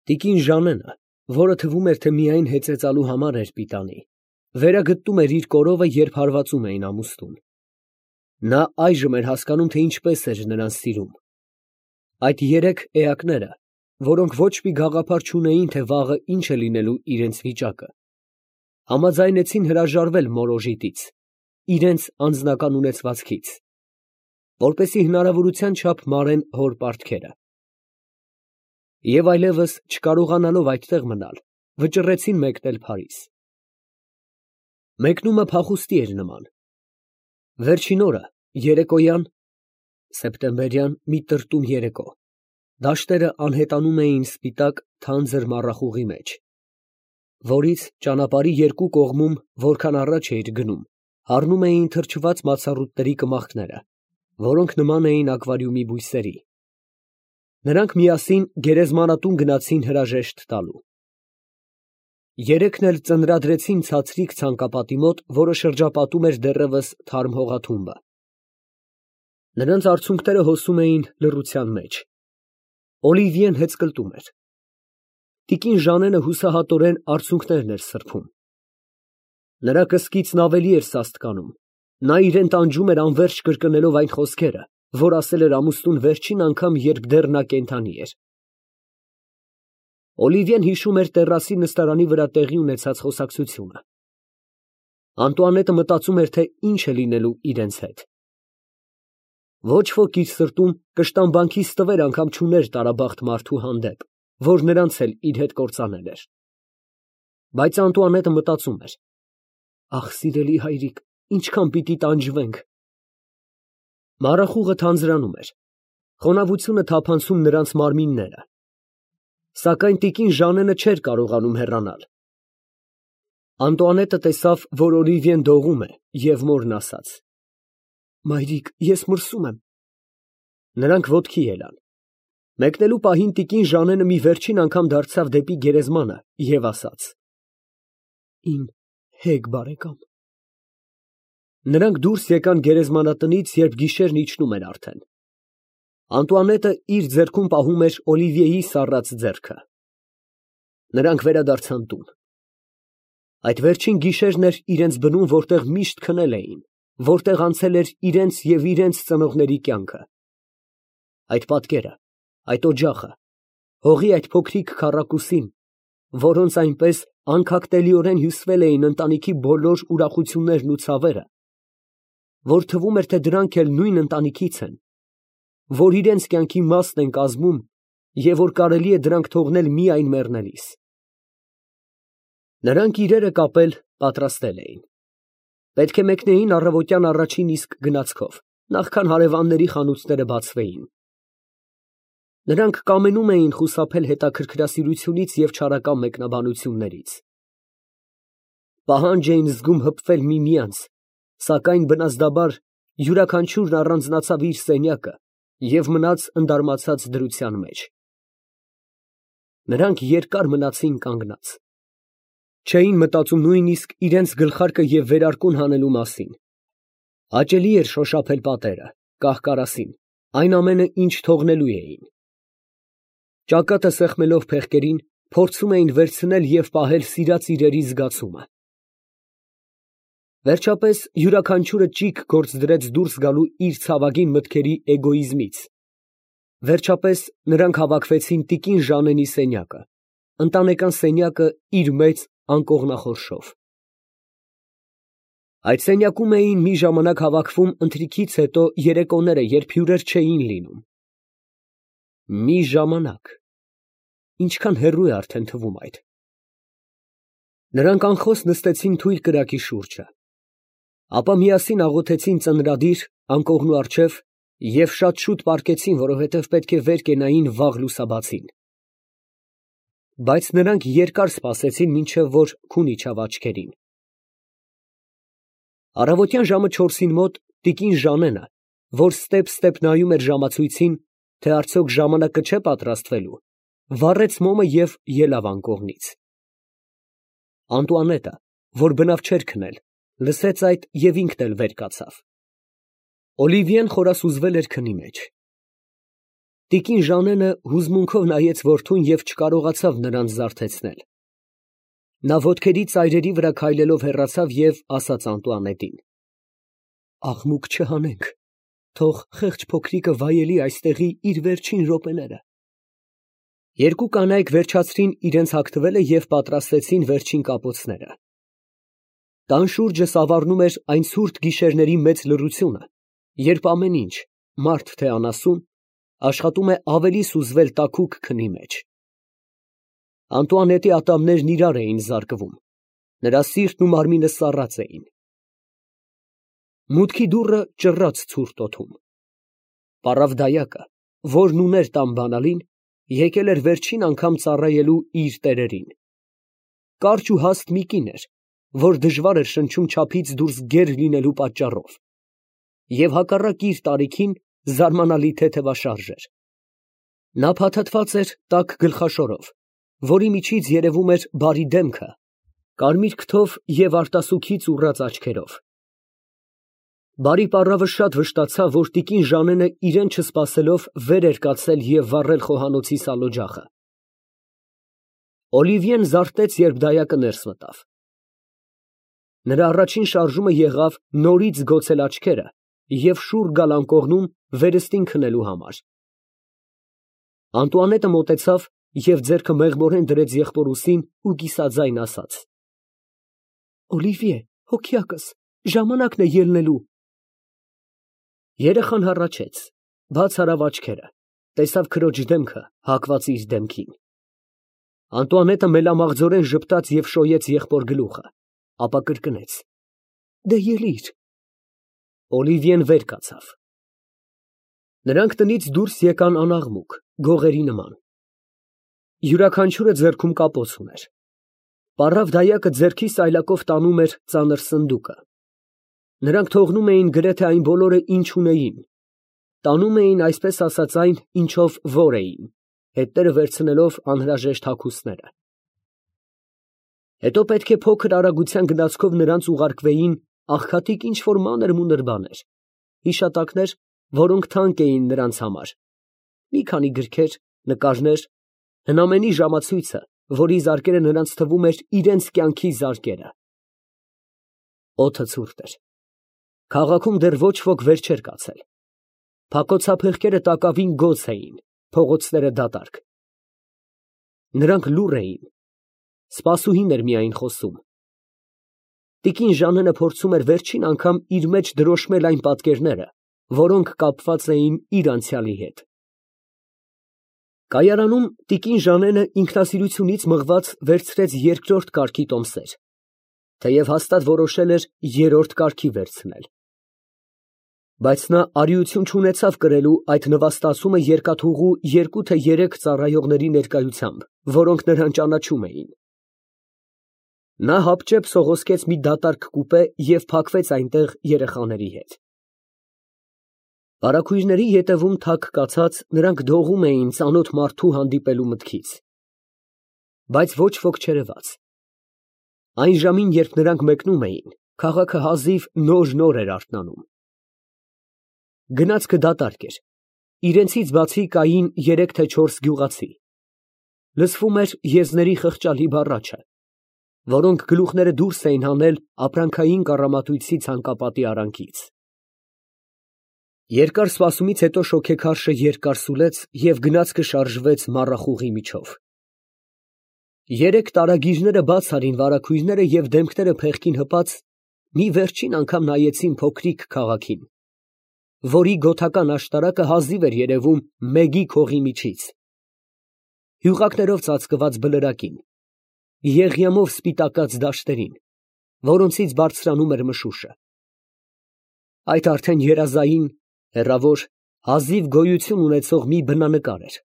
Տիկին Ժանենը, որը թվում էր, թե միայն հեծեծալու համար էր պիտանի, վերագտնում էր իր կորովը, երբ հարվածում էին ամուսնուն։ Նա այժմ էր հասկանում, թե ինչպես էր նրան սիրում։ Այդ երեք էակները, որոնք ոչ մի գաղափար չունեին, թե վաղը ինչ է լինելու իրենց վիճակը, համաձայնեցին հրաժարվել մորոժիտից, իրենց անձնական ունեցվածքից, որպեսզի հնարավորության չափ մարեն հոր պարտքերը։ Եվ այլևս չկարողանալով այդտեղ մնալ, վճռեցին մեկնել Փարիզ։ Մեկնումը փախուստի էր նման։ Վերջին օրը, երեկոյան, սեպտեմբերյան մի տրտում երեկո, դաշտերը անհետանում էին սպիտակ թանձր մառախուղի մեջ, որից ճանապարհի երկու կողմում, որքան առաջ էիր գնում, հառնում էին թրջված մացառուտների կմախքները, որոնք նման էին ակվարիումի բույսերի։ Նրանք միասին գերեզմանատուն գնացին հրաժեշտ տալու։ Երեքն էլ ծնրադրեցին ցածրիկ ցանկապատի մոտ, որը շրջապատում էր դեռևս թարմ հողաթումբը։ Նրանց արցունքները հոսում էին լռության մեջ։ Օլիվիեն հեծկլտում էր։ Տիկին Ժանենը հուսահատորեն արցունքներն էր սրբում։ Նրա կսկիցն ավելի էր սաստկանում։ Նա իրեն տանջում էր անվերջ կրկնելով այն խոսքերը, որ ասել էր ամուսնուն վերջին անգամ, երբ դեռ նա կենդանի էր։ Օլիվիեն հիշում էր տեռասի նստարանի վրա տեղի ունեցած խոսակցությունը։ Անտուանետը մտածում էր, թե ինչ է լինելու իրենց հետ։ Ոչ ոք իր սրտում կշտամբանքի ստվեր անգամ չուներ տարաբախտ մարդու հանդեպ, որ նրանց էլ իր հետ կործանել էր։ Բայց Անտուանետը մտածում էր. «Ախ, սիրելի հայրիկ, ինչքան պիտի տանջվենք»։ Մառախուղը թանձրանում էր։ Խոնավությունը թափանցում նրանց մարմինները։ Սակայն տիկին Ժանենը չէր կարողանում հեռանալ։ Անտուանետը տեսավ, որ Օլիվիեն դողում է, և մորն ասաց. «Մայրիկ, ես մրսում եմ»։ Նրանք ոտքի ելան։ Մեկնելու պահին տիկին Ժանենը մի վերջին անգամ դարձավ դեպի գերեզմանը և ասաց. «Իմ հեգ բարեկամ»։ Նրանք դուրս եկան գերեզմանատնից, երբ գիշերն իջնում էր արդեն։ Անտուանետը իր ձեռքում պահում էր Օլիվիեի սառած ձեռքը։ Նրանք վերադարձան տուն։ Այդ վերջին գիշերն էր իրենց բնում, որտեղ միշտ քնել էին, որտեղ անցել էր իրենց և իրենց ծնողների կյանքը։ Այդ պատկերը, այդ օջախը, հողի այդ փոքրիկ քառակուսին, որոնց այնպես անքակտելիորեն հյուսվել էին ընտանիքի բոլոր ուրախություններն ու ցավերը, որ թվում էր, թե դրանք էլ նույն ընտանիքից են, որ իրենց կյանքի մասն են կազմում և որ կարելի է դրանք թողնել միայն մեռնելիս։ Նրանք իրերը կապել պատրաստել էին։ Պետք է մեկնեին առավոտյան առաջին իսկ գնացքով, նախքան հարևանների խանութները բացվեին։ Նրանք կամենում էին խուսափել հետաքրքրասիրությունից և չարական մեկնաբանություններից։ Պահանջ էին զգում հպվել միմյանց, սակայն բնազդաբար յուրաքանչյուրն առանձնացավ իր սենյակը և մնաց ընդարմացած դրության մեջ։ Նրանք երկար մնացին կանգնած։ Չէին մտածում նույնիսկ իրենց գլխարկը և վերարկուն հանելու մասին։ Հաճելի էր շոշափել պատերը, կահ֊կարասին, այն ամենը, ինչ թողնելու էին։ Ճակատը սեղմելով փեղկերին, փորձում էին վերցնել և պահել սիրած իրերի զգացումը։ Վերջապես յուրաքանչյուրը ճիգ գործ դրեց դուրս գալու իր ցավագին մտքերի էգոիզմից։ Վերջապես նրանք հավաքվեցին տիկին Ժանենի սենյակը, ընտանեկան սենյակը իր մեծ անկողնախորշով։ Այդ սենյակում էին մի ժամանակ հավաքվում ընթրիքից հետո երեկոները, երբ հյուրեր չէին լինում։ Մի ժամանակ… ինչքան հեռու է արդեն թվում այդ։ Նրանք անխոս նստեցին թույլ կրակի շուրջը։ Ապա միասին աղոթեցին ծնրադիր անկողնու առջև և շատ շուտ պառկեցին, որովհետև պետք է վեր կենային վաղ լուսաբացին։ Բայց նրանք երկար սպասեցին, մինչև որ քուն իջավ աչքերին։ Առավոտյան ժամը 4-ին մոտ տիկին Ժանենը, որ ստեպ նայում էր ժամացույցին, թե արդյոք ժամանակը չէ պատրաստվելու, վառեց մոմը և ելավ անկողնից։ Անտուանետը, որ բնավ չէր քնել, լսեց այդ և ինքն էլ վեր կացավ։ Օլիվիեն խորասուզվել էր քնի մեջ։ Տիկին Ժանենը հուզմունքով նայեց որդուն և չկարողացավ նրան զարթեցնել։ Նա ոտքերի ծայրերի վրա քայլելով հեռացավ և ասաց Անտուանետին. «Աղմուկ չհանենք, թող խեղճ փոքրիկը վայելի այստեղի իր վերջին րոպեները»։ Երկու կանայք վերջացրին իրենց հագնվելը և պատրաստեցին վերջին կապոցները։ Տան շուրջը սավառնում էր այն ցուրտ գիշերների մեծ լռությունը, երբ ամեն ինչ, մարդ թե անասուն, աշխատում է ավելի սուզվել տաքուկ քնի մեջ։ Անտուանետի ատամներն իրար էին զարկվում, նրա սիրտն ու մարմինը սառած էին։ Մուտքի դուռը ճռռաց ցուրտ օդում։ Պառավ դայակը, որն ուներ տան բանալին, եկել էր վերջին անգամ ծառայելու իր տերերին։ Կարճ ու հաստ մի կին էր, որ դժվար էր շնչում չափից դուրս գեր լինելու պատճառով, և հակառակ իր տարիքին զարմանալի թեթևաշարժ էր։ Նա փաթաթված էր տաք գլխաշորով, որի միջից երևում էր բարի դեմքը, կարմիր քթով և արտասուքից ուռած աչքերով։ Բարի պառավը շատ վշտացավ, որ տիկին Ժանենը իրան չսպասելով վեր էր կացել և վառել խոհանոցի սալօջախը։ Օլիվիեն զարթեց, երբ դայակը ներս մտավ։ Նրա առաջին շարժումը եղավ նորից զգոցել աչքերը և շուռ գալ անկողնում վերստին քնելու համար։ Անտուանետը մոտեցավ և ձեռքը մեղմորեն դրեց եղբոր ուսին ու կիսաձայն ասաց. «Օլիվիե, հոգյակս, ժամանակն է ելնելու»։ Երեխան հառաչեց, բաց արավ աչքերը, տեսավ քրոջ դեմքը հակված իր դեմքին։ Անտուանետը մելամաղձորեն ժպտաց և շոյեց եղբոր գլուխը, ապա կրկնեց. «Դե ելիր»։ Օլիվիեն վեր կացավ։ Նրանք տնից դուրս եկան անաղմուկ, գողերի նման։ Յուրաքանչյուրը ձեռքում կապոց ուներ։ Պառավ դայակը ձեռքի սայլակով տանում էր ծանր սնդուկը։ Նրանք թողնում էին գրեթե այն բոլորը, ինչ ունեին, տանում էին, այսպես ասած, այն, ինչով որ էին, հետները վերցնելով անհրաժեշտ հագուստները։ Հետո պետք է փոքր արագության գնացքով նրանց ուղարկվեին աղքատիկ ինչ֊որ մանր֊մունր բաներ, հիշատակներ, որոնք թանկ էին նրանց համար, մի քանի գրքեր, նկարներ, հնամենի ժամացույցը, որի զարկերը նրանց թվում էր իրենց կյանքի զարկերը։ Օդը ցուրտ էր։ Քաղաքում դեռ ոչ ոք վեր չէր կացել։ Փակոցափեղկերը տակավին գոց էին, փողոցները դատարկ։ Նրանք լուռ էին, սպասուհին էր միայն խոսում։ Տիկին Ժանենը փորձում էր վերջին անգամ իր մեջ դրոշմել այն պատկերները, որոնք կապված էին իր անցյալի հետ։ Կայարանում տիկին Ժանենը ինքնասիրությունից մղված վերցրեց երկրորդ կարգի տոմսեր, թեև հաստատ որոշել էր երրորդ կարգի վերցնել։ Բայց նա արիություն չունեցավ կրելու այդ նվաստացումը երկաթուղու երկու թե երեք ծառայողների ներկայությամբ, որոնք նրան ճանաչում էին։ Նա հապճեպ սողոսկեց մի դատարկ կուպե և փակվեց այնտեղ երեխաների հետ։ Վարագույրների ետևում թակ կացած, նրանք դողում էին ծանոթ մարդու հանդիպելու մտքից։ Բայց ոչ ոք չերևաց։ Այն ժամին, երբ նրանք մեկնում էին, քաղաքը հազիվ նոր էր արթնանում։ Գնացքը դատարկ էր, իրենցից բացի կային 3 թե 4 գյուղացի։ Լսվում էր եզների խղճալի բառաչը, որոնք գլուխները դուրս էին հանել ապրանքային կառամատույցի ցանկապատի արանքից։ Երկար սպասումից հետո շոգեքարշը երկար սուլեց և գնացքը շարժվեց մառախուղի միջով։ 3 տարագիրները բաց արին վարագույրները և դեմքները փեղկին հպած մի վերջին անգամ նայեցին փոքրիկ քաղաքին, որի գոթական աշտարակը հազիվ էր երևում մեգի քողի միջից, հյուղակներով ծածկված բլրակին, եղյամով սպիտակած դաշտերին, որոնցից բարձրանում էր մշուշը։ Այդ արդեն երազային, հեռավոր, հազիվ գոյություն ունեցող մի բնանկար էր։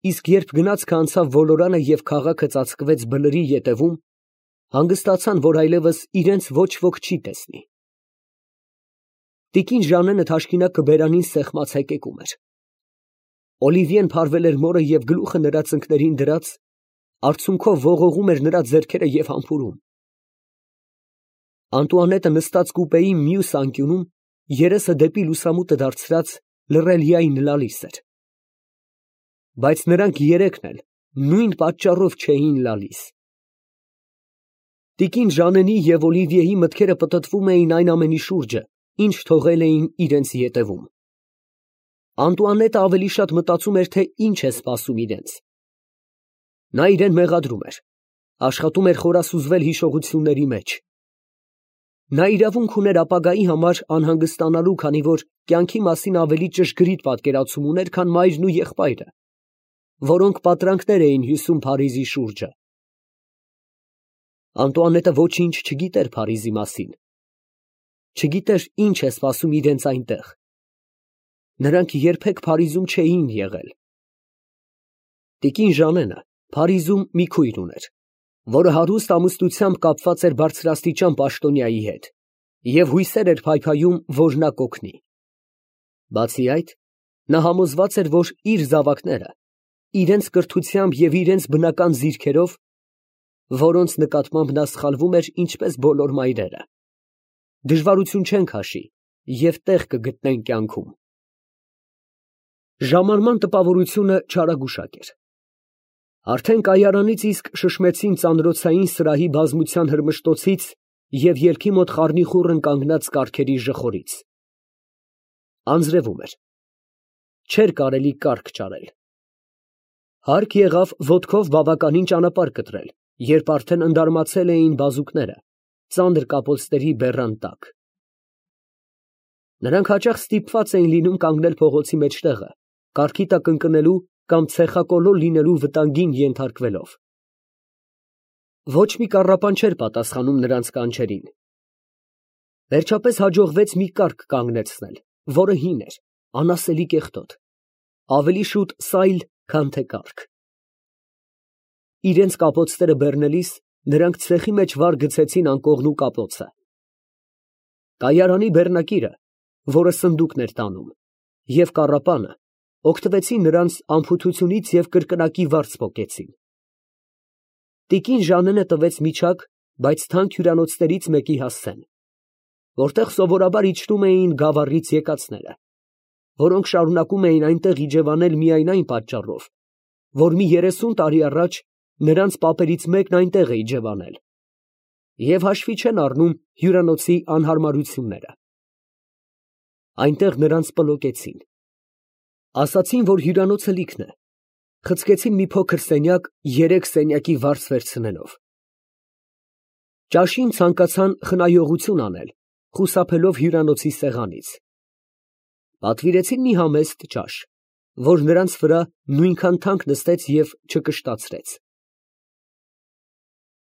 Իսկ երբ գնացքը անցավ ոլորանը և քաղաքը ծածկվեց բլրի ետևում, հանգստացան, որ այլևս իրենց ոչ ոք չի տեսնի։ Տիկին Ժանենը թաշկինակը բերանին սեղմած հեկեկում էր։ Օլիվիեն փարվել էր մորը և գլուխը նրա ծնկներին դրած, արցունքով ողողում էր նրա ձեռքերը և համբուրում։ Անտուանետը նստած կուպեի մյուս անկյունում, երեսը դեպի լուսամուտը դարձրած, լռելիային լալիս էր։ Բայց նրանք երեքն էլ նույն պատճառով չէին լալիս։ Տիկին Ժանենի և Օլիվիեի մտքերը պտտվում էին այն ամենի շուրջը, ինչ թողել էին իրենց ետևում։ Անտուանետը ավելի շատ մտածում էր, թե ինչ է սպասում իրենց։ Նա իրեն մեղադրում էր, աշխատում էր խորասուզվել հիշողությունների մեջ։ Նա իրավունք ուներ ապագայի համար անհանգստանալու, քանի որ կյանքի մասին ավելի ճշգրիտ պատկերացում ուներ, քան մայրն ու եղբայրը, որոնք պատրանքներ էին հյուսում Փարիզի շուրջը։ Անտուանետը ոչինչ չգիտեր Փարիզի մասին։ Չգիտեր ինչ է սպասում իրենց այնտեղ։ Նրանք երբեք Փարիզում չէին եղել։ Տիկին Ժանենը Փարիզում մի քույր ուներ, որը հարուստ ամուսնությամբ կապված էր բարձրաստիճան պաշտոնյայի հետ և հույսեր էր փայփայում, որ նա կօգնի։ Բացի այդ, նա համոզված էր, որ իր զավակները իրենց կրթությամբ և իրենց բնական ձիրքերով, որոնց նկատմամբ նա սխալվում էր ինչպես բոլոր մայրերը, դժվարություն չեն քաշի և տեղ կգտնեն կյանքում։ Ժամանման տպավորությունը չարագուշակ էր։ Արդեն կայարանից իսկ շշմեցին ծանրոցային սրահի բազմության հրմշտոցից և ելքի մոտ խառնիխուռն կանգնած կառքերի ժխորից։ Անձրևում էր։ Չէր կարելի կառք ճարել։ Հարկ եղավ ոտքով բավականին ճանապարհ կտրել, երբ արդեն ընդարմացել էին բազուկները ծանր կապոցների բեռան տակ։ Նրանք հաճախ ստիպված էին լինում կանգնել փողոցի մեջտեղը, կառքի տակ ընկնելու կամ ցեխակոլոր լինելու վտանգին ենթարկվելով։ Ոչ մի կառապան չէր պատասխանում նրանց կանչերին։ Վերջապես հաջողվեց մի կառք կանգնեցնել, որը հին էր, անասելի կեղտոտ, ավելի շուտ սայլ, քան թե կառք։ Իրենց կապոցները բեռնելիս նրանք ցեխի մեջ վար գցեցին անկողնու կապոցը։ Կայարանի բեռնակիրը, որը սնդուկն էր տանում, և կառապանը օգտվեցին նրանց անփութությունից և կրկնակի վարձ պոկեցին։ Տիկին Ժանենը տվեց միջակ, բայց թանկ հյուրանոցներից մեկի հասցեն, որտեղ սովորաբար իջնում էին գավառից եկածները, որոնք շարունակում էին այնտեղ իջևանել միայն այն պատճառով, որ մի 30 տարի առաջ նրանց պապերից մեկն այնտեղ է իջևանել, և հաշվի չեն առնում հյուրանոցի անհարմարությունները։ Այնտեղ նրանց պլոկեցին։ Ասացին, որ հյուրանոցը լիքն է, խցկեցին մի փոքր սենյակ 3 սենյակի վարձ վերցնելով։ Ճաշին ցանկացան խնայողություն անել, խուսափելով հյուրանոցի սեղանից։ Պատվիրեցին մի համեստ ճաշ, որ նրանց վրա նույնքան թանկ նստեց և չկշտացրեց։